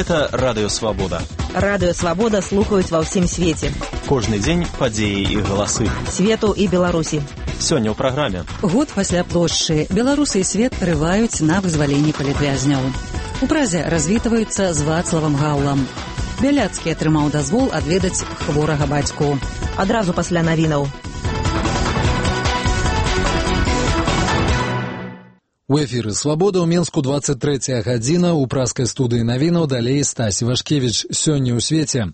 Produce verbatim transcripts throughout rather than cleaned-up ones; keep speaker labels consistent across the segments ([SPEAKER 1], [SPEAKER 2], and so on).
[SPEAKER 1] Гэта Радыё Свабода.
[SPEAKER 2] Радыё Свабода слухаюць ва ўсім свеце.
[SPEAKER 1] Кожны дзень падзеі і галасы.
[SPEAKER 2] Свету і Беларусі.
[SPEAKER 1] Сёння ў праграме.
[SPEAKER 3] Год пасля плошчы. Беларусы і свет рываюць на вызваленне палітвязняў. У Празе развітваюцца з Вацлавам Гаўлам. Бяляцкі атрымаў дазвол адведаць хворага бацьку.
[SPEAKER 2] Адразу пасля навінаў.
[SPEAKER 4] У эфіры «Свабода» ў Менску двадцать третья гадзіна, у праскай студыі навінаў далей Стась Івашкевіч. Сёння ў свеце.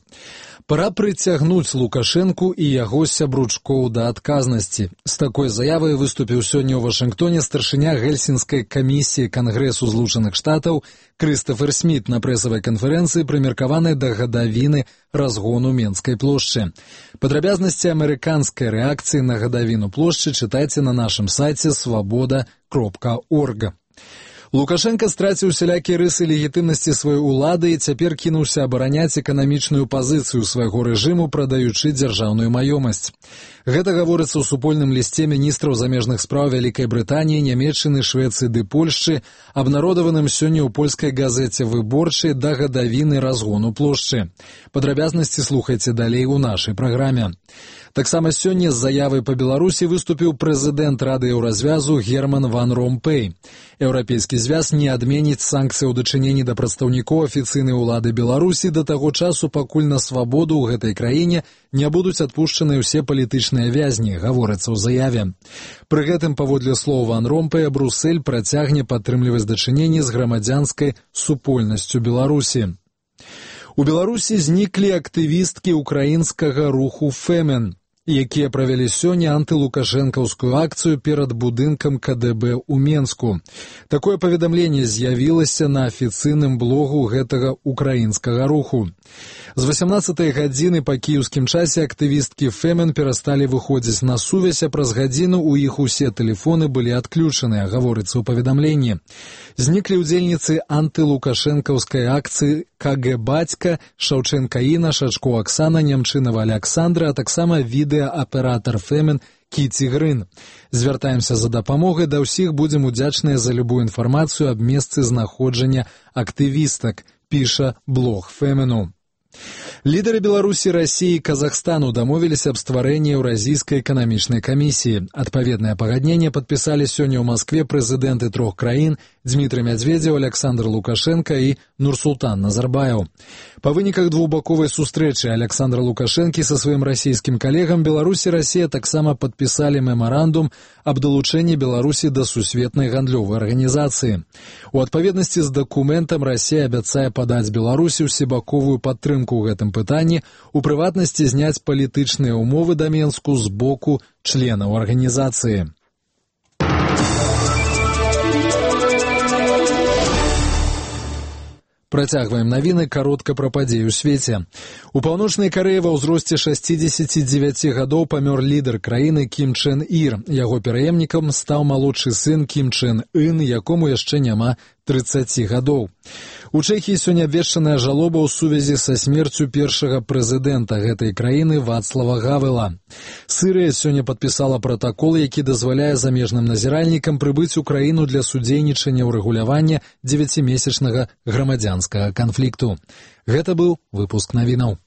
[SPEAKER 4] Пора прыцягнуць Лукашэнку і яго сябручкоў да адказнасці. З такой заявай выступіў сёння ў Вашынгтоне старшыня Гельсінскай камісіі Кангрэсу Злучаных Штатаў Крыстафер Сміт на прэсавай канферэнцыі, прымеркаванай да гадавіны разгону Менскай плошчы. Падрабязнасці амерыканскай рэакцыі на гадавіну плошчы чытайце на нашым сайце свабода кропка орг. Лукашенко страціў усялякія рысы легітымнасці сваёй улады і цяпер кінуўся абараняць эканамічную пазіцыю свайго рэжыму, прадаючы дзяржаўную маёмасць. Гэта гаворыцца ў супольным лісце міністраў замежных спраў Вялікай Брытаніі, Нямецчыны, Швецыі ды Польшчы, абнародаваным сёння ў польскай газеце «Выборчай» да гадавіны разгону плошчы. Падрабязнасці слухайце далей у нашай праграме. Таксама сёння з заявай па Беларусі выступіў прэзідэнт Рады Еўразвязу Герман ван Ромпэй. Еўрапейскі звяз не адменіць санкцыі ў дачыненні да прадстаўнікоў афіцыйнай улады Беларусі да таго часу, пакуль на свабоду ў гэтай краіне не будуць адпушчаныя ўсе палітычныя вязні, гаворыцца ў заяве. Пры гэтым, паводле слоў ван Ромпэя, Брусэль працягне падтрымліваць дачыненні з грамадзянскай супольнасцю Беларусі. У Беларусі зніклі актывісткі ўкраінскага руху «Фемен», якія правялі сёння антылукашэнкаўскую акцыю перад будынкам ка дэ бэ ў Менску. Такое паведамленне з'явілася на афіцыйным блогу гэтага украінскага руху. З васямнаццатай гадзіны па кіеўскім часе актывісткі «Фемен» перасталі выходзіць на сувязь, а праз гадзіну ў іх усе тэлефоны былі адключаныя, гаворыцца ў паведамленні. Зніклі ўдзельніцы антылукашэнкаўскай акцыі ка гэ бацька, Шаўчэнка Іна, Шачко Аксана, Нямчынава Аляксандра, а таксама відэааператар «Фемен» Кіці Грын. Звяртаемся за дапамогай да ўсіх, будзем удзячныя за любую інфармацыю аб месцы знаходжання актывістак, піша блог «Фемену». Лідары Беларусі, Расіі і Казахстану дамовіліся аб стварэнні Еўразійскай эканамічнай камісіі. Адпаведнае пагадненне падпісалі сёння ў Маскве прэзідэнты трох краін Дзмітрый Мядзведзеў, Аляксандр Лукашенка і Нурсултан Назарбаеў. Па выніках двухбаковай сустрэчы Аляксандра Лукашэнкі са сваім расійскім калегам Беларусь і Расія таксама падпісалі мемарандум аб далучэнні Беларусі да сусветнай гандлёвай арганізацыі. У адпаведнасці з дакументам Расія абяцае падаць Беларусі ўсебаковую падтрымку ў гэтым пытанні, у прыватнасці зняць палітычныя ўмовы да Менску з боку членаў арганізацыі. Працягваем навіны, каротка пра падзеі ў свеце. У Паўночнай Карэі ва ўзросце шасцідзесяці дзевяці гадоў памёр лідар краіны Кім Чен Ір. Яго пераемнікам стаў малодшы сын Кім Чен Ын, якому яшчэ няма трыццаці гадоў. У Чэхіі сёння абвешчаная жалоба ў сувязі са смерцю першага прэзідэнта гэтай краіны Вацлава Гавела. Сырыя сёння падпісала пратакол, які дазваляе замежным назіральнікам прыбыць у краіну для судзейнічання ў рэгулявання дзевяцімесячнага грамадзянскага канфлікту. Гэта быў выпуск навінаў.